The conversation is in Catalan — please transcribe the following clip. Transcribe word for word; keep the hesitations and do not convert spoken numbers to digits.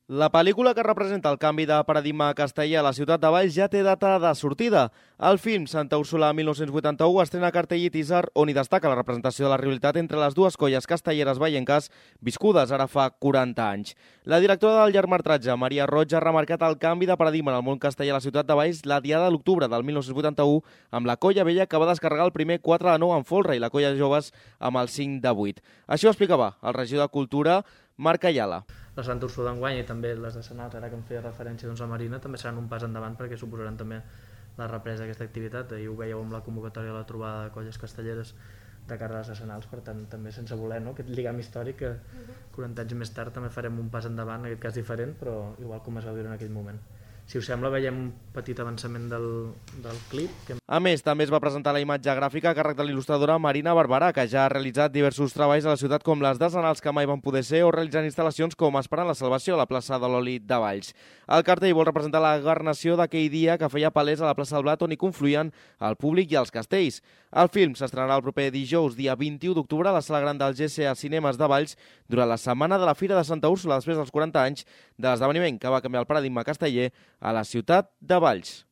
La pel·lícula que representa el canvi de paradigma castellà a la ciutat de Valls ja té data de sortida. El film Santa Úrsula mil nou-cents vuitanta-u estrena cartell i teaser on hi destaca la representació de la rivalitat entre les dues colles castelleres vallenques viscudes ara fa quaranta anys. La directora del llargmetratge, Maria Roig, ha remarcat el canvi de paradigma en el món castellà a la ciutat de Valls la diada de l'octubre del mil nou-cents vuitanta-u amb la colla vella que va descarregar el primer quatre de nou en folre i la colla de joves amb el cinc de vuit. Així ho explicava el regidor de Cultura, Marc Ayala. La Santa Úrsula d'enguany i també les de Senals, ara que em feia referència doncs, a Marina, també seran un pas endavant perquè suposaran també la represa d'aquesta activitat. Ahir ho veieu amb la convocatòria de la trobada de colles castelleres de cara a les de Senals, per tant també sense voler, no? Aquest lligam històric que quaranta anys més tard també farem un pas endavant, en aquest cas diferent, però igual com es va viure en aquell moment. Si us sembla, veiem un petit avançament del, del clip. Que... A més, també es va presentar la imatge gràfica a càrrec de l'il·lustradora Marina Barberà, que ja ha realitzat diversos treballs a la ciutat com les de Senals que mai van poder ser o realitzant instal·lacions com Esperant la Salvació a la plaça de l'Oli de Valls. El cartell vol representar la garnació d'aquell dia que feia palès a la plaça del Blat on hi confluïen el públic i els castells. El film s'estrenarà el proper dijous, dia vint-i-u d'octubre, a la sala gran del G C A Cinemes de Valls durant la setmana de la Fira de Santa Úrsula després dels quaranta anys de l'esdeveniment que va canviar el paradigma casteller a la ciutat de Valls.